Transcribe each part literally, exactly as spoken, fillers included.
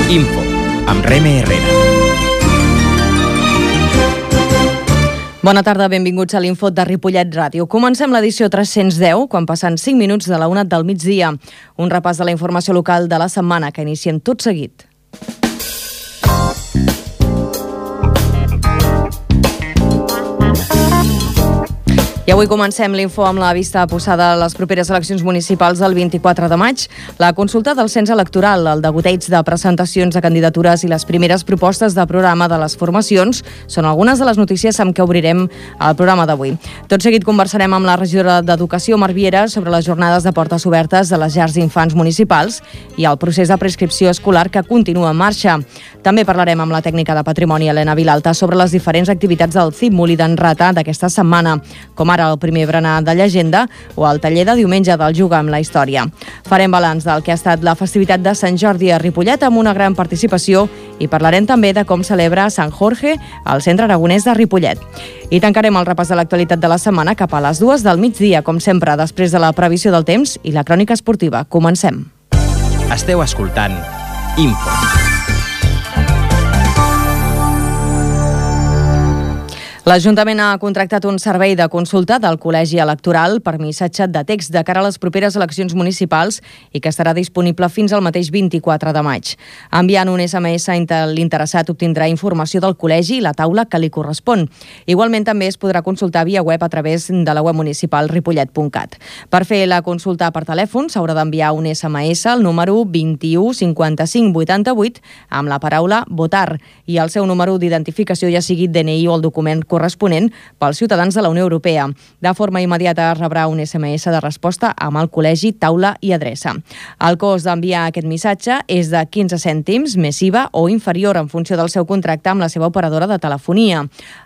Info, amb Reme Herrera. Bona tarda, benvinguts a l'Info de Ripollet Ràdio. Comencem l'edició tres-cents deu, quan passen cinc minuts de la una del migdia. Un repàs de la informació local de la setmana que iniciem tot seguit. I avui comencem l'info amb la vista posada a les properes eleccions municipals del vint-i-quatre de maig. La consulta del cens electoral, el degoteig de presentacions de candidatures i les primeres propostes de programa de les formacions són algunes de les notícies amb què obrirem el programa d'avui. Tot seguit conversarem amb la regidora d'Educació, Mar Viera, sobre les jornades de portes obertes de les llars d'infants municipals i el procés de prescripció escolar que continua en marxa. També parlarem amb la tècnica de patrimoni, Helena Vilalta, sobre les diferents activitats del Cimuli d'en Rata d'aquesta setmana, com ara el primer berenar de llegenda o el taller de diumenge del Juga amb la història. Farem balanç del que ha estat la festivitat de Sant Jordi a Ripollet amb una gran participació i parlarem també de com celebra Sant Jorge al Centre Aragonès de Ripollet. I tancarem el repàs de l'actualitat de la setmana cap a les dues del migdia, com sempre, després de la previsió del temps i la crònica esportiva. Comencem. Esteu escoltant Info. L'Ajuntament ha contractat un servei de consulta del Col·legi Electoral per missatge de text de cara a les properes eleccions municipals i que estarà disponible fins al mateix vint-i-quatre de maig. Enviant un esse eme esse, l'interessat obtindrà informació del col·legi i la taula que li correspon. Igualment també es podrà consultar via web a través de la web municipal ripollet punt cat. Per fer la consulta per telèfon s'haurà d'enviar un esse eme esse al número vint-i-u cinquanta-cinc vuitanta-vuit amb la paraula votar i el seu número d'identificació, ja sigui de ene i o el document corresponent pels ciutadans de la Unió Europea. De forma immediata rebrà un esse eme esse de resposta amb el col·legi, taula i adreça. El cost d'enviar aquest missatge és de quinze cèntims més I V A o inferior en funció del seu contracte amb la seva operadora de telefonia.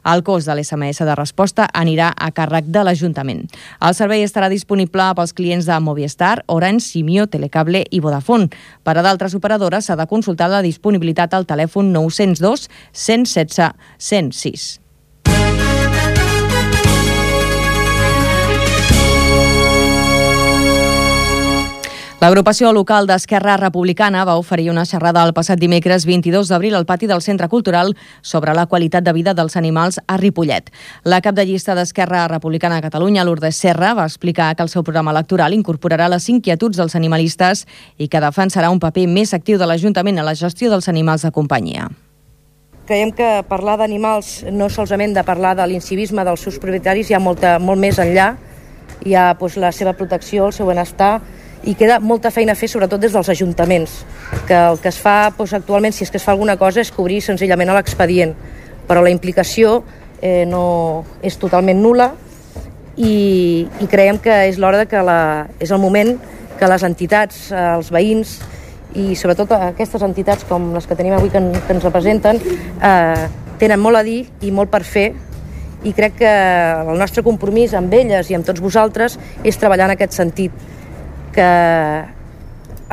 El cost de l'esse eme esse de resposta anirà a càrrec de l'Ajuntament. El servei estarà disponible pels clients de Movistar, Orange, Simio, Telecable i Vodafone. Per a d'altres operadores s'ha de consultar la disponibilitat al telèfon nou zero dos, cent setze, cent sis. L'agrupació local d'Esquerra Republicana va oferir una xerrada el passat dimecres vint-i-dos d'abril al pati del Centre Cultural sobre la qualitat de vida dels animals a Ripollet. La cap de llista d'Esquerra Republicana a Catalunya, Lourdes Serra, va explicar que el seu programa electoral incorporarà les inquietuds dels animalistes i que defensarà un paper més actiu de l'Ajuntament a la gestió dels animals de companyia. Creiem que parlar d'animals no solament de parlar de l'incivisme dels seus propietaris, hi ha molta, molt més enllà. Hi ha doncs, la seva protecció, el seu benestar, i queda molta feina a fer, sobretot des dels ajuntaments, que el que es fa doncs, actualment, si és que es fa alguna cosa, és cobrir senzillament l'expedient, però la implicació eh, no és totalment nul·la i, i creiem que és l'hora de que la, és el moment que les entitats, els veïns i sobretot aquestes entitats com les que tenim avui que, en, que ens representen eh, tenen molt a dir i molt per fer, i crec que el nostre compromís amb elles i amb tots vosaltres és treballar en aquest sentit, que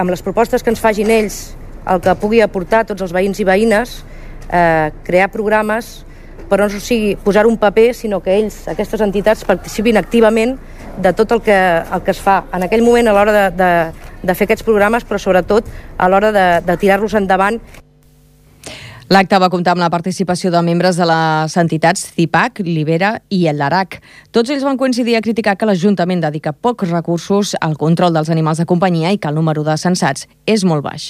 amb les propostes que ens facin ells, el que pugui aportar tots els veïns i veïnes, eh, crear programes, però no sigui posar un paper, sinó que ells, aquestes entitats, participin activament de tot el que, el que es fa en aquell moment a l'hora de, de, de fer aquests programes, però sobretot a l'hora de, de tirar-los endavant. L'acte va comptar amb la participació de membres de les entitats CIPAC, Libera i el LARAC. Tots ells van coincidir a criticar que l'Ajuntament dedica pocs recursos al control dels animals de companyia i que el número de censats és molt baix.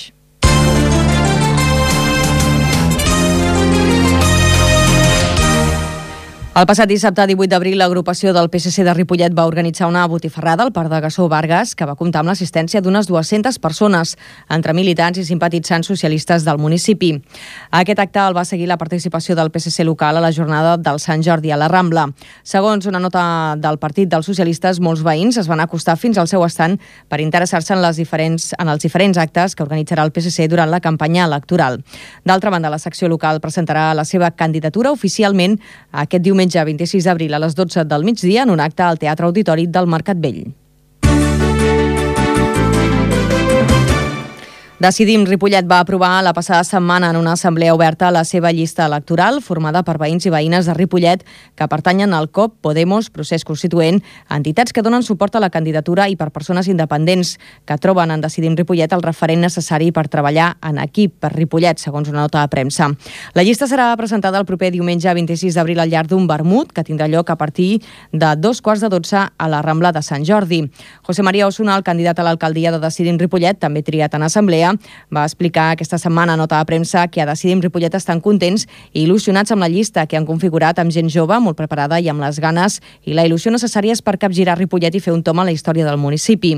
El passat dissabte divuit d'abril, l'agrupació del Pe Se Ce de Ripollet va organitzar una botifarrada al Parc de Gassó Vargas que va comptar amb l'assistència d'unes dues-centes persones, entre militants i simpatitzants socialistes del municipi. Aquest acte el va seguir la participació del Pe Se Ce local a la jornada del Sant Jordi a la Rambla. Segons una nota del Partit dels Socialistes, molts veïns es van acostar fins al seu estand per interessar-se en, les diferents, en els diferents actes que organitzarà el Pe Se Ce durant la campanya electoral. D'altra banda, la secció local presentarà la seva candidatura oficialment aquest diumenge vint-i-sis d'abril a les dotze del migdia en un acte al Teatre Auditori del Mercat Vell. Decidim Ripollet va aprovar la passada setmana en una assemblea oberta la seva llista electoral, formada per veïns i veïnes de Ripollet que pertanyen al C O P, Podemos, Procés Constituent, entitats que donen suport a la candidatura i per persones independents que troben en Decidim Ripollet el referent necessari per treballar en equip per Ripollet, segons una nota de premsa. La llista serà presentada el proper diumenge vint-i-sis d'abril al llarg d'un vermut que tindrà lloc a partir de dos quarts de dotze a la Rambla de Sant Jordi. José María Osuna, el candidat a l'alcaldia de Decidim Ripollet, també triat en assemblea, va explicar aquesta setmana a nota de premsa que a Decidim Ripollet estan contents i il·lusionats amb la llista que han configurat amb gent jove, molt preparada i amb les ganes i la il·lusió necessàries per capgirar Ripollet i fer un tom a la història del municipi.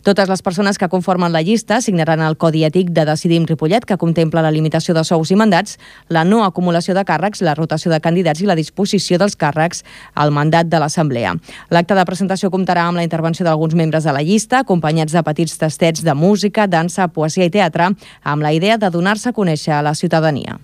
Totes les persones que conformen la llista signaran el Codi Ètic de Decidim Ripollet, que contempla la limitació de sous i mandats, la no acumulació de càrrecs, la rotació de candidats i la disposició dels càrrecs al mandat de l'Assemblea. L'acte de presentació comptarà amb la intervenció d'alguns membres de la llista, acompanyats de petits tastets de música, dansa, poesia i teatre, amb la idea de donar-se a conèixer a la ciutadania.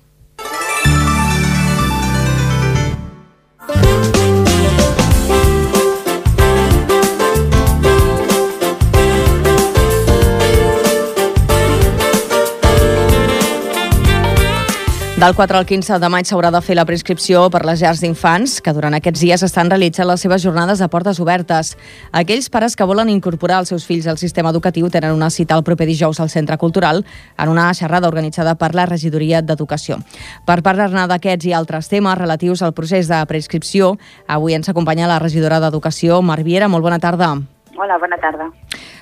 Del quatre al quinze de maig s'haurà de fer la preinscripció per les llars d'infants, que durant aquests dies estan realitzant les seves jornades de portes obertes. Aquells pares que volen incorporar els seus fills al sistema educatiu tenen una cita el proper dijous al Centre Cultural en una xerrada organitzada per la Regidoria d'Educació. Per parlar-ne d'aquests i altres temes relatius al procés de preinscripció, avui ens acompanya la regidora d'Educació, Mar Viera. Molt bona tarda. Hola, bona tarda.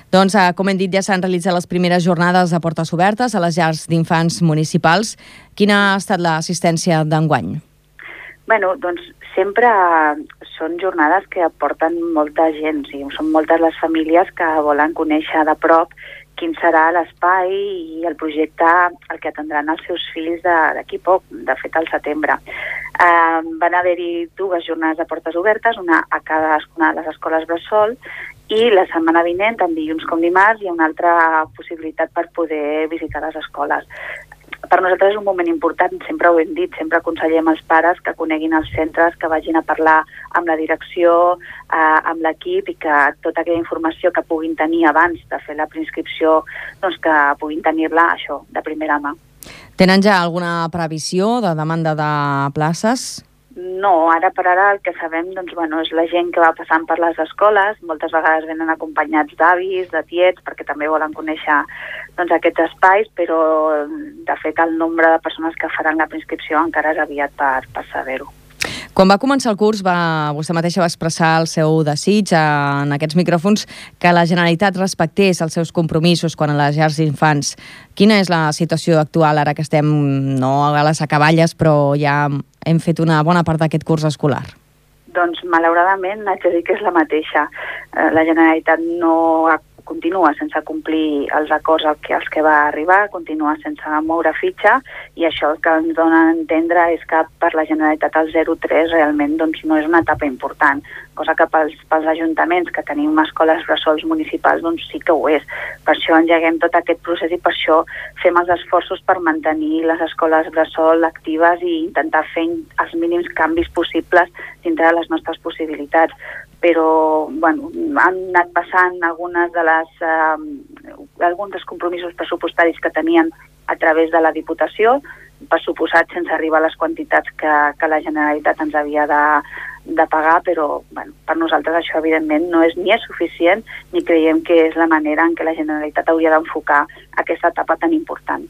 Doncs, com hem dit, ja s'han realitzat les primeres jornades de portes obertes a les llars d'infants municipals. Quina ha estat l'assistència d'enguany? Bueno, doncs sempre són jornades que aporten molta gent, o sigui, són moltes les famílies que volen conèixer de prop quin serà l'espai i el projecte al que atendran els seus fills d'aquí poc, de fet al setembre. Eh, van haver-hi dues jornades de portes obertes, una a cadascuna de les escoles bressol, i la setmana vinent, tant dilluns com dimarts, hi ha una altra possibilitat per poder visitar les escoles. Per nosaltres és un moment important, sempre ho hem dit, sempre aconsellem als pares que coneguin els centres, que vagin a parlar amb la direcció, eh, amb l'equip, i que tota aquella informació que puguin tenir abans de fer la preinscripció, doncs que puguin tenir-la, això, de primera mà. Tenen ja alguna previsió de demanda de places? No, ara per ara el que sabem doncs, bueno, és la gent que va passant per les escoles, moltes vegades venen acompanyats d'avis, de tiets, perquè també volen conèixer doncs, aquests espais, però de fet el nombre de persones que faran la preinscripció encara és aviat per, per saber-ho. Quan va començar el curs, va, vostè mateixa va expressar el seu desig en aquests micròfons que la Generalitat respectés els seus compromisos quan a les llars d'infants. Quina és la situació actual ara que estem no a les acaballes, però ja hem fet una bona part d'aquest curs escolar? Doncs malauradament haig de dir que és la mateixa. La Generalitat no ha continua sense complir els acords als que, als que va arribar, continua sense moure fitxa, i això el que ens dona a entendre és que per la Generalitat el zero tres realment doncs, no és una etapa important, cosa que pels, pels ajuntaments que tenim escoles bressols municipals doncs sí que ho és. Per això engeguem tot aquest procés i per això fem els esforços per mantenir les escoles bressol actives i intentar fer els mínims canvis possibles dintre de les nostres possibilitats. Però bueno, han anat passant algunes de les, eh, alguns dels compromisos pressupostaris que tenien a través de la Diputació, per suposat sense arribar a les quantitats que, que la Generalitat ens havia de, de pagar, però bueno, per nosaltres això evidentment no és ni és suficient ni creiem que és la manera en què la Generalitat hauria d'enfocar aquesta etapa tan important.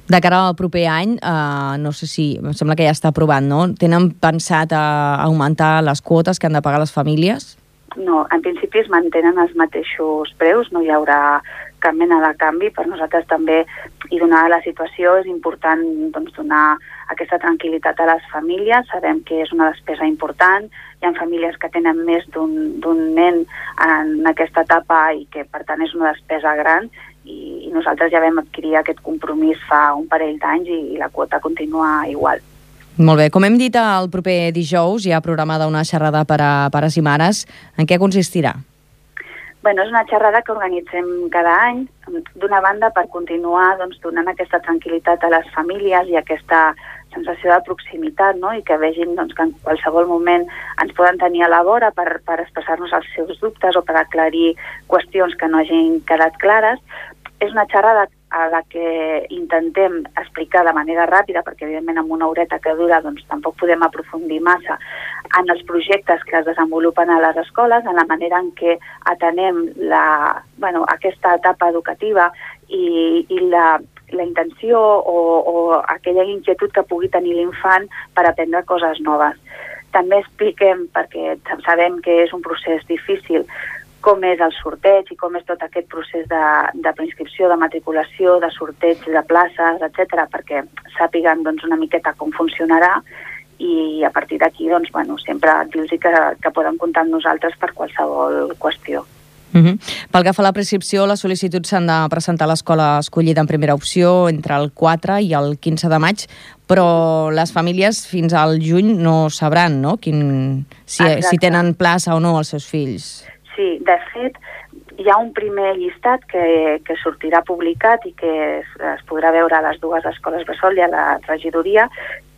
De cara al proper any, eh, no sé si, em sembla que ja està aprovat, no? Tenen pensat a augmentar les quotes que han de pagar les famílies? No, en principi es mantenen els mateixos preus, no hi haurà cap mena de canvi. Per nosaltres també, i donada la situació, és important doncs, donar aquesta tranquil·litat a les famílies. Sabem que és una despesa important, hi ha famílies que tenen més d'un nen en aquesta etapa i que per tant és una despesa gran, i nosaltres ja vam adquirir aquest compromís fa un parell d'anys i, i la quota continua igual. Molt bé. Com hem dit, el proper dijous hi ha programada una xerrada per a pares i mares. En què consistirà? Bueno, és una xerrada que organitzem cada any, d'una banda per continuar doncs, donant aquesta tranquil·litat a les famílies i aquesta sensació de proximitat, no? I que vegin doncs, que en qualsevol moment ens poden tenir a la vora per, per expressar-nos els seus dubtes o per aclarir qüestions que no hagin quedat clares. És una xerrada a la que intentem explicar de manera ràpida, perquè evidentment amb una horeta que dura doncs tampoc podem aprofundir massa en els projectes que es desenvolupen a les escoles, en la manera en què atenem la, bueno, aquesta etapa educativa i, i la, la intenció o, o aquella inquietud que pugui tenir l'infant per aprendre coses noves. També expliquem, perquè sabem que és un procés difícil, com és el sorteig i com és tot aquest procés de, de preinscripció, de matriculació, de sorteig de places, etcètera, perquè sàpiguen doncs, una miqueta com funcionarà i a partir d'aquí doncs, bueno, sempre dir-los que, que poden comptar amb nosaltres per qualsevol qüestió. Uh-huh. Pel que fa a la prescripció, les sol·licituds s'han de presentar a l'escola escollida en primera opció entre el quatre i el quinze de maig, però les famílies fins al juny no sabran, no?, Quin, si, si tenen plaça o no els seus fills. Sí, de fet, hi ha un primer llistat que, que sortirà publicat i que es, es podrà veure a les dues escoles bressol i a la regidoria,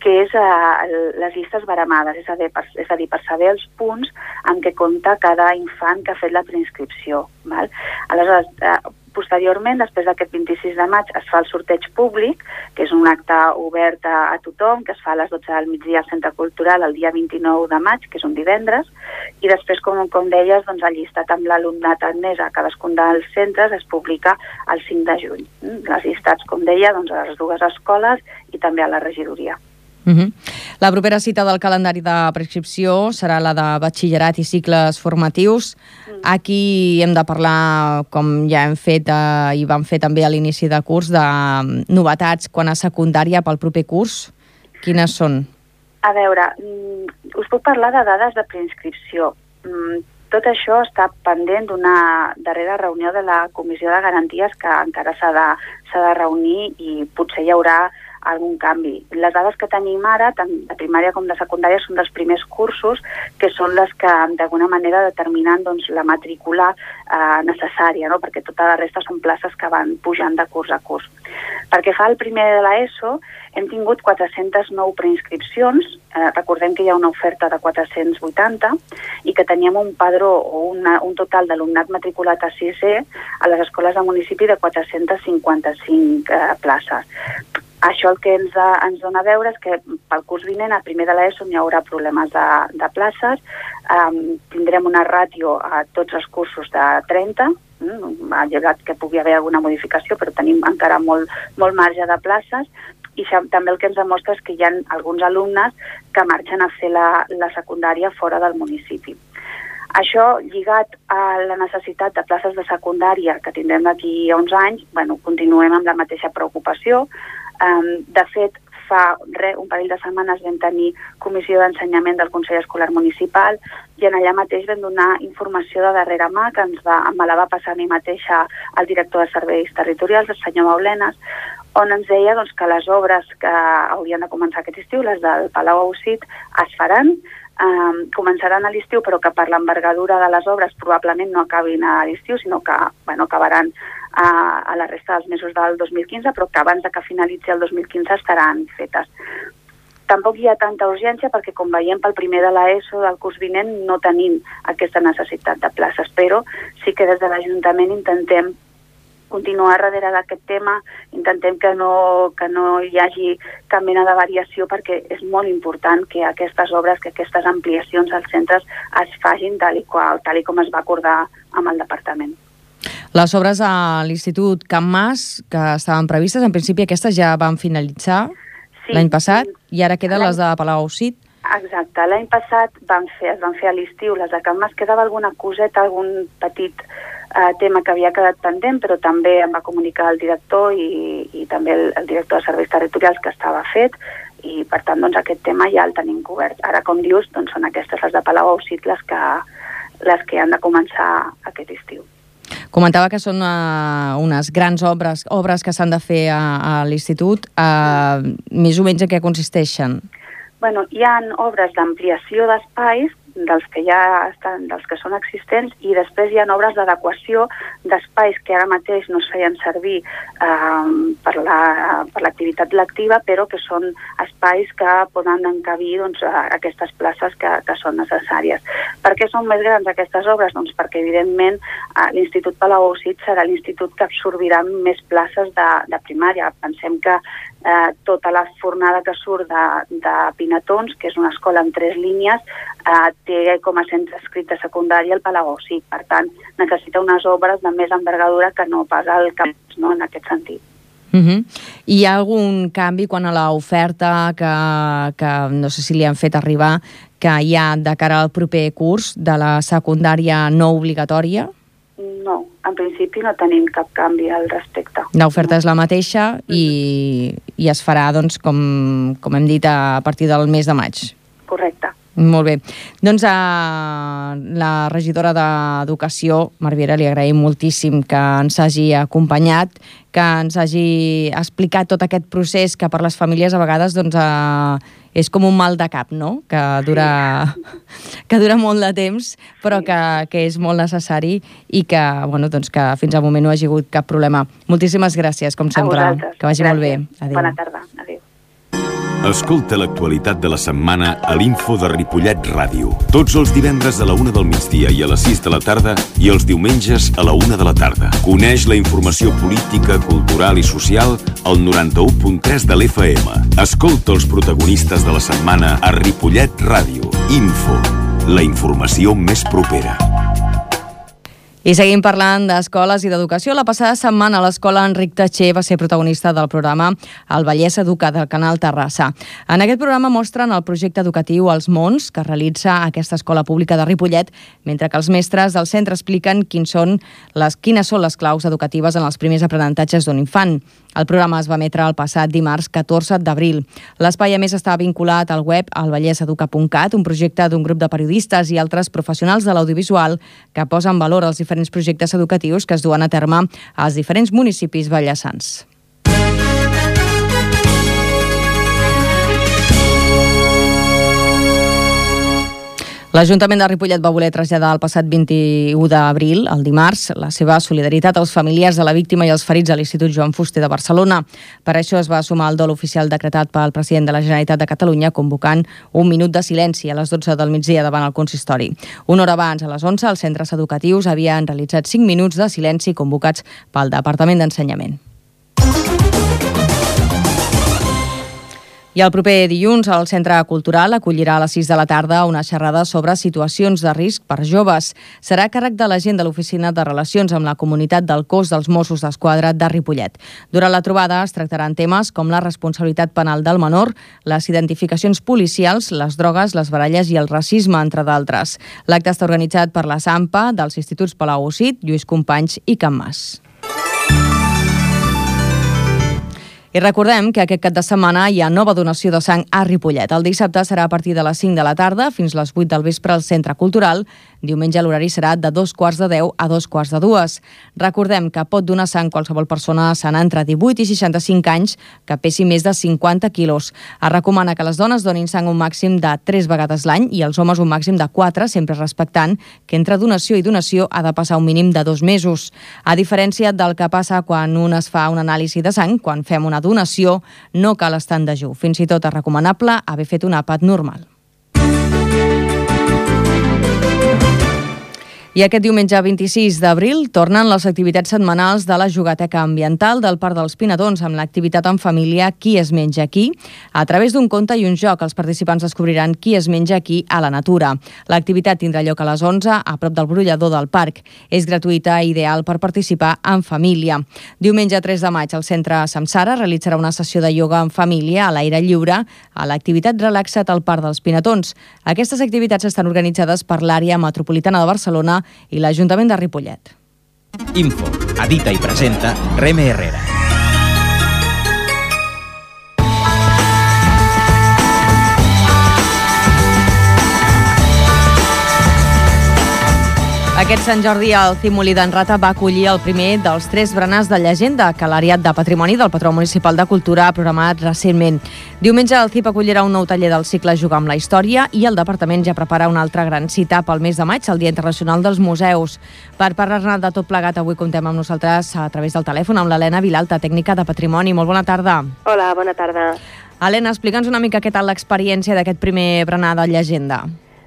que és uh, les llistes baremades, és a, dir, per, és a dir, per saber els punts en què compta cada infant que ha fet la preinscripció. Val? Aleshores, uh, posteriorment, després d'aquest vint-i-sis de maig, es fa el sorteig públic, que és un acte obert a, a tothom, que es fa a les dotze del migdia al Centre Cultural el dia vint-i-nou de maig, que és un divendres, i després, com, com deies, doncs, el llistat amb l'alumnat admès a cadascun dels centres es publica el cinc de juny. Les llistats, com deia, doncs, a les dues escoles i també a la regidoria. Uh-huh. La propera cita del calendari de prescripció serà la de batxillerat i cicles formatius. Mm. Aquí hem de parlar, com ja hem fet eh, i vam fer també a l'inici de curs, de novetats quan a secundària pel proper curs. Quines són? A veure, us puc parlar de dades de preinscripció. Tot això està pendent d'una darrera reunió de la Comissió de Garanties que encara s'ha de, s'ha de reunir i potser hi haurà algun canvi. Les dades que tenim ara, tant de primària com de secundària, són dels primers cursos, que són les que d'alguna manera determinen doncs, la matrícula eh, necessària, no? Perquè tota la resta són places que van pujant de curs a curs. Perquè fa el primer de l'ESO, hem tingut quatre-centes nou preinscripcions, eh, recordem que hi ha una oferta de quatre-cents vuitanta i que teníem un padró o una, un total d'alumnat matriculat a sisè a les escoles de municipi de quatre-cents cinquanta-cinc eh, places. Això el que ens, ens dona a veure és que pel curs vinent, a primer de l'ESO, hi haurà problemes de, de places, um, tindrem una ràtio a tots els cursos de trenta, mm, ha llegat que pugui haver alguna modificació, però tenim encara molt, molt marge de places, i això, també el que ens demostra és que hi ha alguns alumnes que marxen a fer la, la secundària fora del municipi. Això, lligat a la necessitat de places de secundària que tindrem d'aquí a uns anys, bueno, continuem amb la mateixa preocupació. Um, de fet, fa re, un parell de setmanes vam tenir comissió d'ensenyament del Consell Escolar Municipal i en allà mateix vam donar informació de darrera mà que ens va, me la va passar a mi mateixa el director de Serveis Territorials, el senyor Maulenes, on ens deia doncs, que les obres que haurien de començar aquest estiu, les del Palau Ausit, es faran, Um, començaran a l'estiu, però que per l'envergadura de les obres probablement no acabin a l'estiu, sinó que bueno, acabaran a, a la resta dels mesos del dos mil quinze, però que abans de que finalitzi el dos mil quinze estaran fetes. Tampoc hi ha tanta urgència perquè, com veiem pel primer de l'ESO del curs vinent, no tenim aquesta necessitat de places, però sí que des de l'Ajuntament intentem continuar darrere d'aquest tema, intentem que no, que no hi hagi cap mena de variació perquè és molt important que aquestes obres, que aquestes ampliacions als centres es facin tal i, qual, tal i com es va acordar amb el departament. Les obres a l'Institut Can Mas, que estaven previstes, en principi aquestes ja van finalitzar sí, l'any passat i ara queden les de Palau Ausit. Exacte, l'any passat van fer, es van fer a l'estiu les de Can Mas, quedava alguna coseta, algun petit Uh, tema que havia quedat pendent, però també em va comunicar el director i, i també el, el director de Serveis Territorials que estava fet i per tant doncs, aquest tema ja el tenim cobert. Ara, com dius, doncs, són aquestes les de Palau Ausit les que, les que han de començar aquest estiu. Comentava que són uh, unes grans obres, obres que s'han de fer a, a l'Institut. Uh, més o menys en què consisteixen? Bueno, hi ha obres d'ampliació d'espais dels que ja estan, dels que són existents, i després hi ha obres d'adequació d'espais que ara mateix no es feien servir eh, per la, per l'activitat lectiva, però que són espais que poden encabir doncs, aquestes places que, que són necessàries. Per què són més grans aquestes obres? Doncs perquè, evidentment, eh, l'Institut Palau-Ausit serà l'institut que absorbirà més places de, de primària. Pensem que eh, tota la fornada que surt de, de Pinatons, que és una escola en tres línies, eh, té com a centre escrit de secundària el Palau-Ausit. Per tant, necessita unes obres de més envergadura que no pas el campus, no?, en aquest sentit. Uh-huh. Hi ha algun canvi quan a l'oferta que, que no sé si li han fet arribar, que hi ha de cara al proper curs de la secundària no obligatòria? No, en principi no tenim cap canvi al respecte. L'oferta és la mateixa i, i es farà, doncs, com, com hem dit, a partir del mes de maig. Correcte. Molt bé. Doncs a la regidora d'Educació, Marviera, li agraïm moltíssim que ens hagi acompanyat, que ens hagi explicat tot aquest procés que per les famílies a vegades doncs, eh, és com un mal de cap, no?, que dura, que dura molt de temps, però que, que és molt necessari i que, bueno, doncs, que fins al moment no ha hagut cap problema. Moltíssimes gràcies, com sempre. A vosaltres. Que vagi Gràcies. molt bé. Adéu. Bona tarda. Adéu. Escolta l'actualitat de la setmana a l'Info de Ripollet Ràdio. Tots els divendres a la una del migdia i a les sis de la tarda i els diumenges a la una de la tarda. Coneix la informació política, cultural i social al noranta-u punt tres de l'F M. Escolta els protagonistes de la setmana a Ripollet Ràdio. Info, la informació més propera. I seguim parlant d'escoles i d'educació. La passada setmana l'escola Enric Tatxer va ser protagonista del programa El Vallès Educa del Canal Terrassa. En aquest programa mostren el projecte educatiu Els Mons, que realitza aquesta escola pública de Ripollet, mentre que els mestres del centre expliquen quins són les, quines són les claus educatives en els primers aprenentatges d'un infant. El programa es va emetre el passat dimarts catorze d'abril. L'espai, a més, està vinculat al web alvalleseduca punt cat, un projecte d'un grup de periodistes i altres professionals de l'audiovisual que posen en valor els diferents projectes educatius que es duen a terme als diferents municipis valleçans. L'Ajuntament de Ripollet va voler traslladar el passat vint-i-u d'abril, el dimarts, la seva solidaritat als familiars de la víctima i als ferits a l'Institut Joan Fuster de Barcelona. Per això es va sumar el dol oficial decretat pel president de la Generalitat de Catalunya, convocant un minut de silenci a les dotze del migdia davant el consistori. Una hora abans, a les onze, els centres educatius havien realitzat cinc minuts de silenci convocats pel Departament d'Ensenyament. I el proper dilluns el Centre Cultural acollirà a les sis de la tarda una xerrada sobre situacions de risc per joves. Serà a càrrec de l'agent de l'Oficina de Relacions amb la Comunitat del Cos dels Mossos d'Esquadra de Ripollet. Durant la trobada es tractaran temes com la responsabilitat penal del menor, les identificacions policials, les drogues, les baralles i el racisme, entre d'altres. L'acte està organitzat per la SAMPA dels Instituts Palau-Ausit, Lluís Companys i Can Mas. I recordem que aquest cap de setmana hi ha nova donació de sang a Ripollet. El dissabte serà a partir de les cinc de la tarda fins les vuit del vespre al Centre Cultural. Diumenge l'horari serà de dos quarts de deu a dos quarts de dues. Recordem que pot donar sang qualsevol persona sana entre divuit i seixanta-cinc anys que pesi més de cinquanta quilos. Es recomana que les dones donin sang un màxim de tres vegades l'any i els homes un màxim de quatre, sempre respectant que entre donació i donació ha de passar un mínim de dos mesos. A diferència del que passa quan un es fa un anàlisi de sang, quan fem una donació, no cal estar en dejú. Fins i tot és recomanable haver fet un àpat normal. I aquest diumenge vint-i-sis d'abril tornen les activitats setmanals de la Jugateca Ambiental del Parc dels Pinatons amb l'activitat en família Qui es menja qui. A través d'un conte i un joc, els participants descobriran qui es menja qui a la natura. L'activitat tindrà lloc a les onze a prop del brollador del parc. És gratuïta i ideal per participar en família. Diumenge tres de maig, el Centre Samsara realitzarà una sessió de ioga en família a l'aire lliure a l'activitat Relaxa't al Parc dels Pinatons. Aquestes activitats estan organitzades per l'àrea metropolitana de Barcelona i l'Ajuntament de Ripollet. Info, edita i presenta Reme Herrera. Aquest Sant Jordi el Cim Molí d'en Rata va acollir el primer dels tres berenars de llegenda que l'Àrea de Patrimoni del Patró Municipal de Cultura ha programat recentment. Diumenge el C I P acollirà un nou taller del cicle Jugar amb la Història i el departament ja prepara una altra gran cita pel mes de maig, el Dia Internacional dels Museus. Per parlar-ne de tot plegat, avui comptem amb nosaltres a través del telèfon amb l'Helena Vilalta, tècnica de Patrimoni. Molt bona tarda. Hola, bona tarda. Helena, explica'ns una mica què tal l'experiència d'aquest primer berenar de llegenda.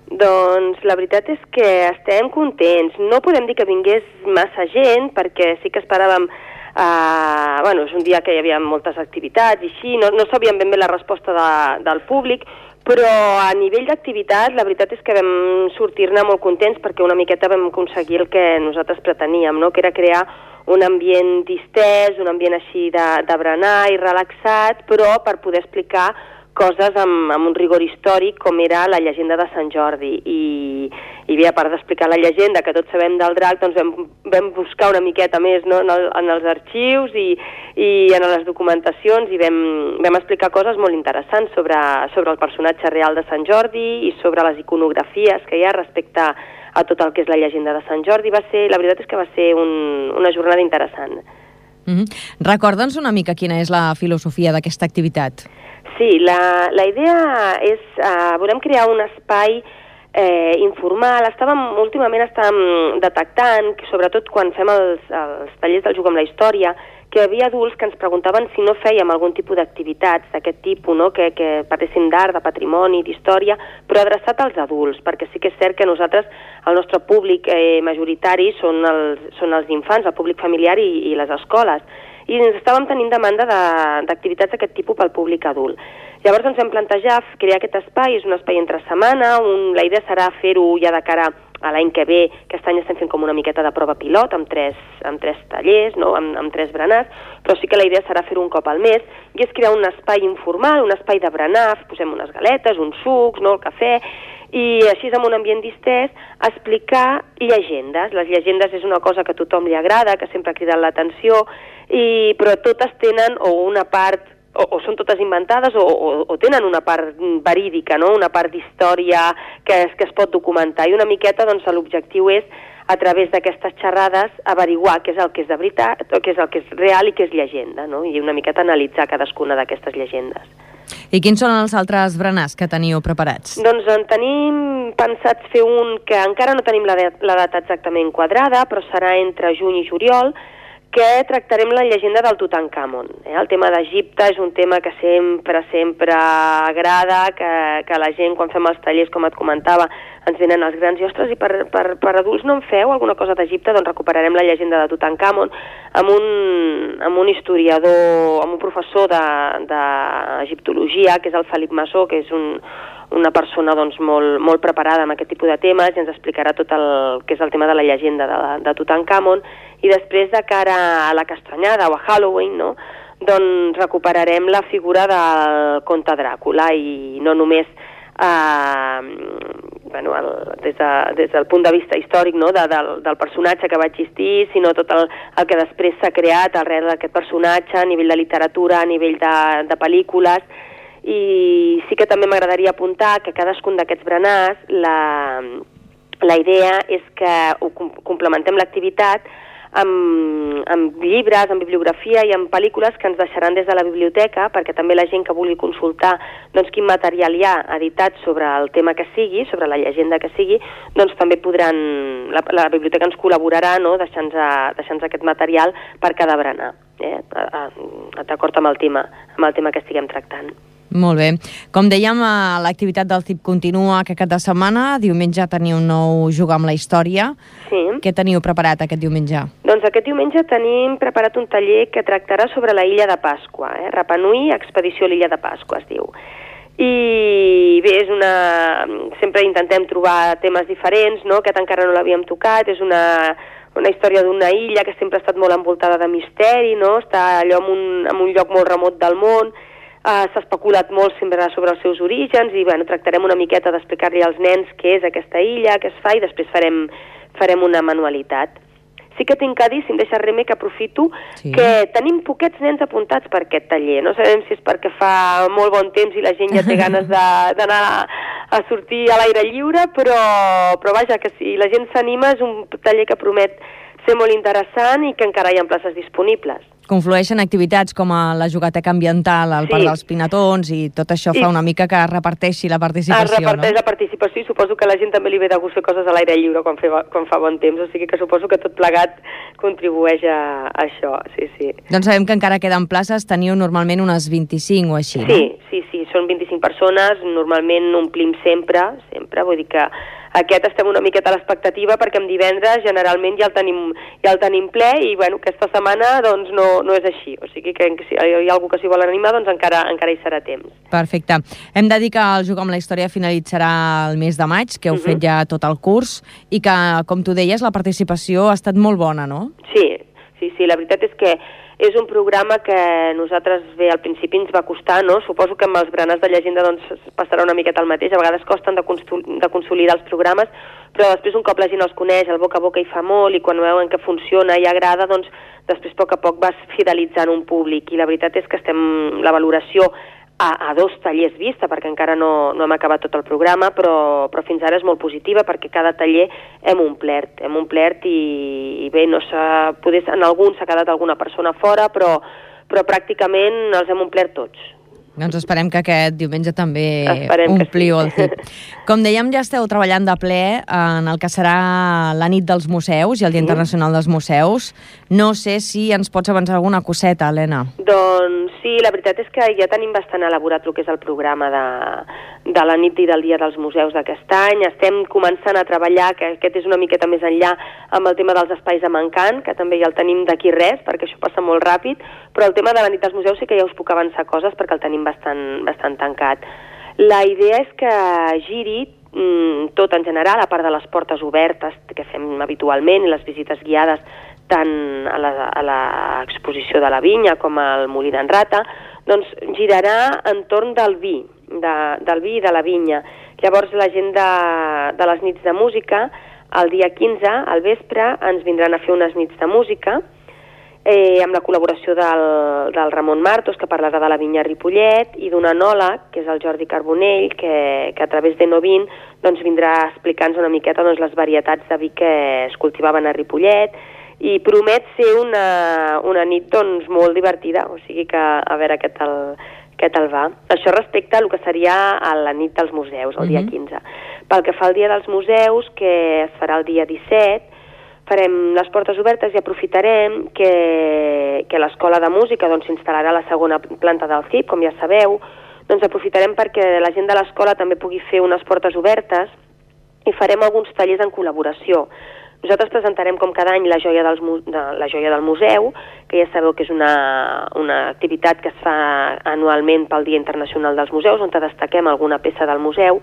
Doncs la veritat és que estem contents. No podem dir que vingués massa gent, perquè sí que esperàvem... Uh, bueno, és un dia que hi havia moltes activitats i així, no, no sabíem ben bé la resposta de, del públic, però a nivell d'activitat la veritat és que vam sortir-ne molt contents perquè una miqueta vam aconseguir el que nosaltres preteníem, no? Que era crear un ambient distès, un ambient així de, de berenar i relaxat, però per poder explicar coses amb, amb un rigor històric com era la llegenda de Sant Jordi. I, i bé, a part d'explicar la llegenda que tots sabem del drac, doncs vam, vam buscar una miqueta més, no? en, el, en els arxius i, i en les documentacions i vam, vam explicar coses molt interessants sobre, sobre el personatge real de Sant Jordi i sobre les iconografies que hi ha respecte a tot el que és la llegenda de Sant Jordi. Va ser, la veritat és que va ser un, una jornada interessant. Mm-hmm. Recorda'ns una mica quina és la filosofia d'aquesta activitat. Sí, la, la idea és, uh, volem crear un espai eh, informal. Estàvem, últimament estàvem detectant, sobretot quan fem els, els tallers del Jugar amb la Història, que hi havia adults que ens preguntaven si no fèiem algun tipus d'activitats d'aquest tipus, no? que, que parlessin d'art, de patrimoni, d'història, però adreçat als adults, perquè sí que és cert que nosaltres, el nostre públic eh, majoritari són els, són els infants, el públic familiar i, i les escoles. I ens estàvem tenint demanda d'activitats d'aquest tipus pel públic adult. Llavors ens vam plantejar crear aquest espai, és un espai entre setmana, un, la idea serà fer-ho ja de cara a l'any que ve, que aquest any estem fent com una miqueta de prova pilot, amb tres, amb tres tallers, no? amb, amb tres berenars, però sí que la idea serà fer-ho un cop al mes, i és crear un espai informal, un espai de berenar, posem unes galetes, uns sucs, no? el cafè, i així amb un ambient distès explicar llegendes. Les llegendes és una cosa que a tothom li agrada, que sempre ha cridat l'atenció, i, però totes tenen o una part, o, o són totes inventades o, o, o tenen una part verídica, no? Una part d'història que, es, que es pot documentar, i una miqueta doncs, l'objectiu és a través d'aquestes xerrades averiguar què és el que és de veritat, o què és el que és real i què és llegenda, no? I una miqueta analitzar cadascuna d'aquestes llegendes. I quins són els altres berenars que teniu preparats? Doncs en tenim pensats fer un que encara no tenim la, la data exactament quadrada, però serà entre juny i juliol, que tractarem la llegenda del Tutankamon. Eh? El tema d'Egipte és un tema que sempre, sempre agrada, que, que la gent, quan fem els tallers, com et comentava, ens venen els grans i, ostres, i per, per, per adults no en feu alguna cosa d'Egipte? Doncs recuperarem la llegenda de Tutankamon amb un, amb un historiador, amb un professor d'egiptologia, que és el Felip Massó, que és un, una persona doncs, molt, molt preparada amb aquest tipus de temes, i ens explicarà tot el que és el tema de la llegenda de, de Tutankamon. I després, de cara a la Castanyada o a Halloween, no? doncs recuperarem la figura del conte Dràcula, i no només eh, bueno, el, des, de, des del punt de vista històric, no? de, del, del personatge que va existir, sinó tot el, el que després s'ha creat arrel d'aquest personatge a nivell de literatura, a nivell de, de pel·lícules. I sí que també m'agradaria apuntar que cadascun d'aquests berenars, la, la idea és que ho complementem l'activitat amb, amb llibres, amb bibliografia i amb pel·lícules que ens deixaran des de la biblioteca, perquè també la gent que vulgui consultar doncs, quin material hi ha editat sobre el tema que sigui, sobre la llegenda que sigui, doncs també podran, la, la biblioteca ens col·laborarà, no? deixant-nos deixant aquest material per cada berenar, eh? d'acord amb el tema, amb el tema que estiguem tractant. Molt bé. Com dèiem, l'activitat del C I P continua aquest cap de setmana. Diumenge teniu un nou Jugar amb la Història. Sí. Què teniu preparat aquest diumenge? Doncs aquest diumenge tenim preparat un taller que tractarà sobre la Illa de Pasqua. Eh? Rapa Nui, expedició a l'Illa de Pasqua, es diu. I bé, és una... sempre intentem trobar temes diferents, no? Aquest encara no l'havíem tocat. És una... una història d'una illa que sempre ha estat molt envoltada de misteri, no? Està allò en un, en un lloc molt remot del món. Uh, s'ha especulat molt sempre sobre els seus orígens i bueno, tractarem una miqueta d'explicar-li als nens què és aquesta illa, què es fa, i després farem, farem una manualitat. Sí que tinc a dir, si em deixa Reme, que aprofito, sí. que tenim poquets nens apuntats per aquest taller. No sabem si és perquè fa molt bon temps i la gent ja té ganes d'anar a sortir a l'aire lliure, però, però vaja, que si la gent s'anima és un taller que promet ser molt interessant i que encara hi ha places disponibles. Conflueixen activitats com a la jugateca ambiental, el sí. Parc dels Pinatons, i tot això sí. fa una mica que reparteixi la participació, es reparteix no? la participació i suposo que a la gent també li ve de gust fer coses a l'aire lliure quan, fe, quan fa bon temps, o sigui que suposo que tot plegat contribueix a, a això, sí, sí. Doncs sabem que encara queden places, teniu normalment unes vint-i-cinc o així, no? Sí, sí, sí, són vint-i-cinc persones, normalment omplim sempre, sempre, vull dir que aquest estem una miqueta a l'expectativa perquè en divendres generalment ja el tenim, ja el tenim ple i bueno, aquesta setmana doncs no, no és així, o sigui que si hi ha algú que s'hi vol animar doncs encara, encara hi serà temps. Perfecte. Hem de dir que el Jugo amb la Història finalitzarà el mes de maig, que heu uh-huh. fet ja tot el curs i que, com tu deies, la participació ha estat molt bona, no? Sí, sí, sí, la veritat és que és un programa que nosaltres bé al principi ens va costar, no? Suposo que amb els berenars de llegenda doncs passarà una miqueta el mateix, a vegades costen de, de consolidar els programes, però després un cop la gent els coneix, el boca a boca hi fa molt i quan veuen que funciona i agrada, doncs després a poc a poc vas fidelitzant un públic i la veritat és que estem, la valoració a, a dos tallers vista, perquè encara no, no hem acabat tot el programa, però, però fins ara és molt positiva perquè cada taller hem omplert, hem omplert i, i bé, no s'ha, poder, en algun s'ha quedat alguna persona fora, però, però pràcticament els hem omplert tots. Doncs esperem que aquest diumenge també esperem ompliu sí. el C I P. Com dèiem, ja esteu treballant de ple en el que serà la nit dels museus i el Dia Internacional dels Museus. No sé si ens pots avançar alguna coseta, Helena. Doncs sí, la veritat és que ja tenim bastant elaborat el que és el programa de, de la nit i del Dia dels Museus d'aquest any. Estem començant a treballar, que aquest és una miqueta més enllà, amb el tema dels espais de Mancant, que també ja el tenim d'aquí res, perquè això passa molt ràpid, però el tema de la nit dels museus sí que ja us puc avançar coses perquè el tenim bastant, bastant tancat. La idea és que giri mm, tot en general, a part de les portes obertes que fem habitualment i les visites guiades tant a l'exposició de la vinya com al Molí d'en Rata, doncs girarà entorn del vi, de, del vi i de la vinya. Llavors la gent de, de les nits de música, el dia quinze, al vespre, ens vindran a fer unes nits de música, Eh, amb la col·laboració del, del Ramon Martos, que parlarà de la vinya Ripollet, i d'un enòleg, que és el Jordi Carbonell, que, que a través de Novin doncs, vindrà a explicar-nos una miqueta doncs, les varietats de vi que es cultivaven a Ripollet, i promet ser una, una nit doncs, molt divertida, o sigui que a veure què tal, què tal va. Això respecte a el que seria a la nit dels museus, el dia quinze. Pel que fa al dia dels museus, que es farà el dia disset, farem les portes obertes i aprofitarem que, que l'Escola de Música doncs, s'instal·larà a la segona planta del C I P, com ja sabeu, doncs aprofitarem perquè la gent de l'escola també pugui fer unes portes obertes i farem alguns tallers en col·laboració. Nosaltres presentarem com cada any la joia, dels, de, la joia del museu, que ja sabeu que és una, una activitat que es fa anualment pel Dia Internacional dels Museus, on destaquem alguna peça del museu.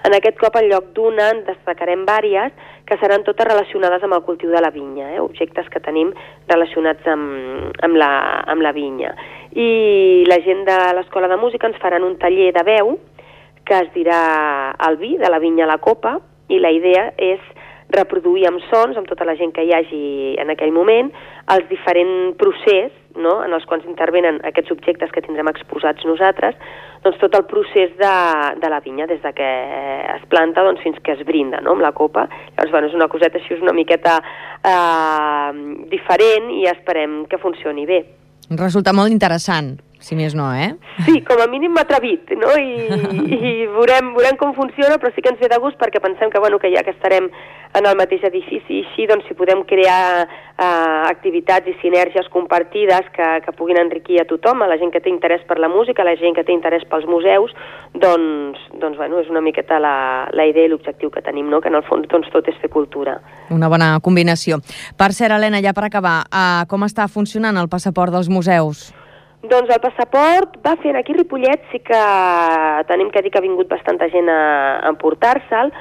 En aquest cop, en lloc d'una, en destacarem vàries que seran totes relacionades amb el cultiu de la vinya, eh? Objectes que tenim relacionats amb, amb, la, amb la vinya. I la gent de l'Escola de Música ens faran un taller de veu que es dirà el vi de la vinya a la copa, i la idea és reproduir amb sons, amb tota la gent que hi hagi en aquell moment, els diferents procés, no?, en els quals intervenen aquests objectes que tindrem exposats nosaltres, doncs tot el procés de, de la vinya, des de que es planta doncs, fins que es brinda, no?, amb la copa. Llavors, bueno, és una coseta així, és una miqueta eh, diferent i esperem que funcioni bé. Resulta molt interessant, si més no, eh? Sí, com a mínim m'ha atrevit, no? I, i veurem, veurem com funciona, però sí que ens ve de gust perquè pensem que, bueno, que ja que estarem en el mateix edifici i així, doncs si podem crear eh, activitats i sinergies compartides que, que puguin enriquir a tothom, a la gent que té interès per la música, a la gent que té interès pels museus, doncs, doncs bueno, és una miqueta la, la idea i l'objectiu que tenim, no? Que en el fons doncs, tot és fer cultura. Una bona combinació. Per cert, Helena, ja per acabar, eh, com està funcionant el passaport dels museus? Doncs el passaport va fent aquí a Ripollet, sí que tenim que dir que ha vingut bastanta gent a, a emportar-se'l.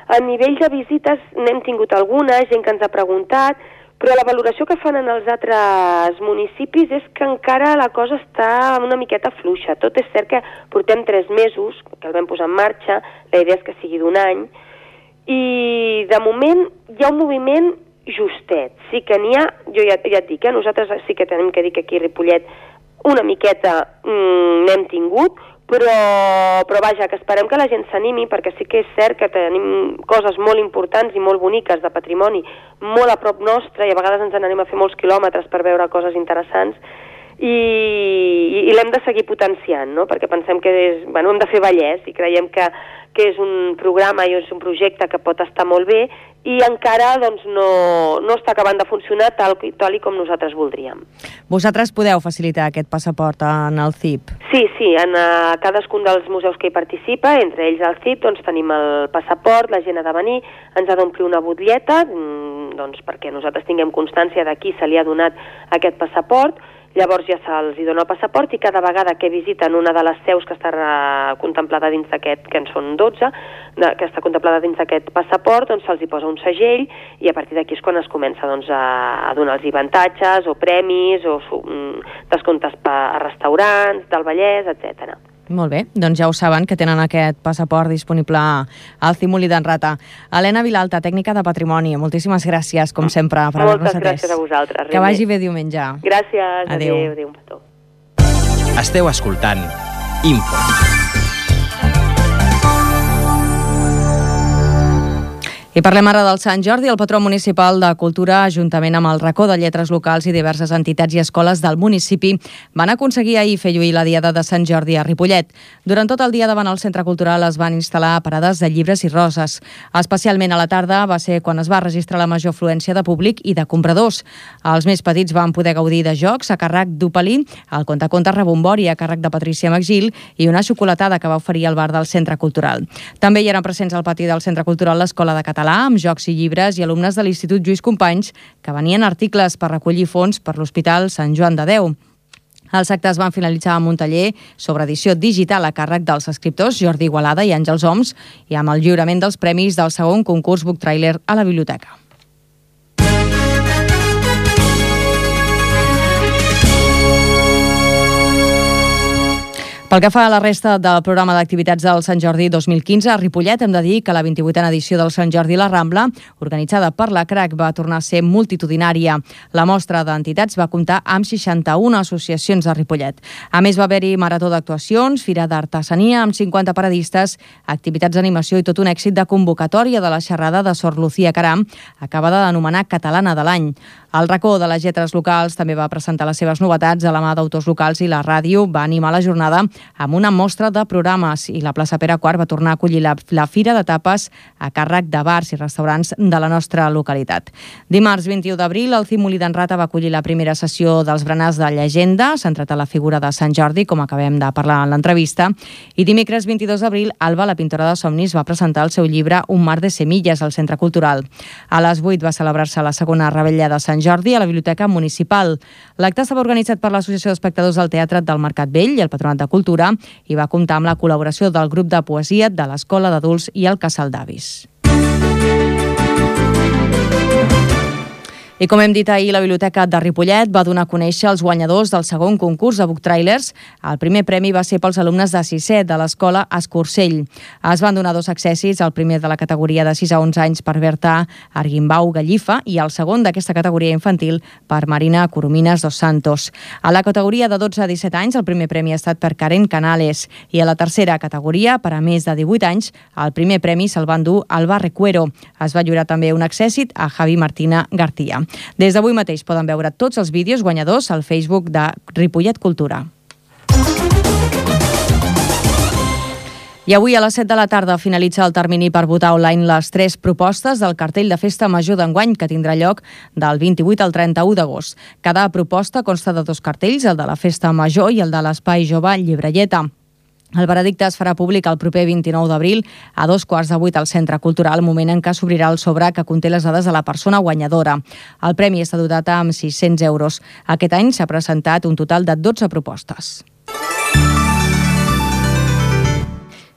A nivell de visites n'hem tingut alguna, gent que ens ha preguntat, però la valoració que fan en els altres municipis és que encara la cosa està una miqueta fluixa. Tot és cert que portem tres mesos, que el vam posar en marxa, la idea és que sigui d'un any, i de moment hi ha un moviment justet. Sí que n'hi ha, jo ja, ja et dic, eh, nosaltres sí que tenim que dir que aquí a Ripollet una miqueta mm, n'hem tingut, però, però vaja, que esperem que la gent s'animi, perquè sí que és cert que tenim coses molt importants i molt boniques de patrimoni molt a prop nostre, i a vegades ens n'anem a fer molts quilòmetres per veure coses interessants, i, i, i l'hem de seguir potenciant, no? Perquè pensem que és, bueno, hem de fer Vallès, i creiem que, que és un programa i és un projecte que pot estar molt bé, i encara doncs, no, no està acabant de funcionar tal, tal i com nosaltres voldríem. Vosaltres podeu facilitar aquest passaport en el C I P? Sí, sí, en uh, cadascun dels museus que hi participa, entre ells el C I P, doncs tenim el passaport, la gent ha de venir, ens ha d'omplir una butlleta, doncs perquè nosaltres tinguem constància de qui se li ha donat aquest passaport. Llavors ja se'ls dona el passaport, i cada vegada que visiten una de les seus que està contemplada dins d'aquest, que en són dotze, que està contemplada dins d'aquest passaport, doncs se'ls hi posa un segell, i a partir d'aquí és quan es comença doncs, a, a donar-los avantatges o premis o descomptes a restaurants del Vallès, etcètera. Molt bé, doncs ja ho saben, que tenen aquest passaport disponible al C I M Molí d'en Rata. Helena Vilalta, tècnica de patrimoni, moltíssimes gràcies, com sempre, per haver-nos atès. Moltes gràcies a vosaltres. Que vagi bé diumenge. Gràcies, adéu. Adéu, adéu un petó. Esteu escoltant Info. I parlem ara del Sant Jordi. El patró municipal de Cultura, juntament amb el Racó de Lletres Locals i diverses entitats i escoles del municipi, van aconseguir ahir fer lluir la Diada de Sant Jordi a Ripollet. Durant tot el dia davant el centre cultural es van instal·lar parades de llibres i roses. Especialment a la tarda va ser quan es va registrar la major afluència de públic i de compradors. Els més petits van poder gaudir de jocs a càrrec d'Opalí, el contacontes Rebombori a càrrec de Patricia Magil i una xocolatada que va oferir al bar del centre cultural. També hi eren presents al pati del centre cultural l'Escola de Català, amb jocs i llibres, i alumnes de l'Institut Lluís Companys que venien articles per recollir fons per l'Hospital Sant Joan de Déu. Els actes van finalitzar amb un taller sobre edició digital a càrrec dels escriptors Jordi Igualada i Àngels Oms, i amb el lliurament dels premis del segon concurs Book Trailer a la biblioteca. Pel que fa a la resta del programa d'activitats del Sant Jordi dos mil quinze, a Ripollet hem de dir que la vint-i-vuitena edició del Sant Jordi la Rambla, organitzada per la C R A C, va tornar a ser multitudinària. La mostra d'entitats va comptar amb seixanta-una associacions a Ripollet. A més, va haver-hi marató d'actuacions, fira d'artesania amb cinquanta paradistes, activitats d'animació i tot un èxit de convocatòria de la xerrada de Sor Lucía Caram, acabada d'anomenar Catalana de l'any. El Racó de les Lletres Locals també va presentar les seves novetats a la mà d'autors locals, i la ràdio va animar la jornada amb una mostra de programes, i la plaça Pere quart va tornar a acollir la, la Fira de Tapes a càrrec de bars i restaurants de la nostra localitat. Dimarts vint-i-u d'abril, el C I M Molí d'en Rata va acollir la primera sessió dels berenars de llegenda, centrat a la figura de Sant Jordi, com acabem de parlar en l'entrevista, i dimecres vint-i-dos d'abril, Alba, la pintora de somnis, va presentar el seu llibre Un mar de semilles al Centre Cultural. A les vuit va celebrar-se la segona revetlla de Sant Jordi a la Biblioteca Municipal. L'acte estava organitzat per l'Associació d'Espectadors del Teatre del Mercat Vell i el Patronat de Cultura, i va comptar amb la col·laboració del grup de poesia de l'Escola d'Adults i el Casal d'Avis. I com hem dit ahir, la Biblioteca de Ripollet va donar a conèixer els guanyadors del segon concurs de Book Trailers. El primer premi va ser pels alumnes de sisè de l'Escola Escursell. Es van donar dos accèssits, el primer de la categoria de sis a onze anys per Berta Arguimbau Gallifa i el segon d'aquesta categoria infantil per Marina Coromines dos Santos. A la categoria de dotze a disset anys, el primer premi ha estat per Karen Canales, i a la tercera categoria, per a més de divuit anys, el primer premi se'l van dur Alba Recuero. Es va lliurar també un accèssit a Javi Martina García. Des d'avui mateix poden veure tots els vídeos guanyadors al Facebook de Ripollet Cultura. I avui a les set de la tarda finalitza el termini per votar online les tres propostes del cartell de Festa Major d'enguany, que tindrà lloc del vint-i-vuit al trenta-u d'agost. Cada proposta consta de dos cartells, el de la Festa Major i el de l'Espai Jove Llibrelleta. El veredicte es farà públic el proper vint-i-nou d'abril a dos quarts de vuit al Centre Cultural, moment en què s'obrirà el sobre que conté les dades de la persona guanyadora. El premi està dotat amb sis-cents euros. Aquest any s'ha presentat un total de dotze propostes.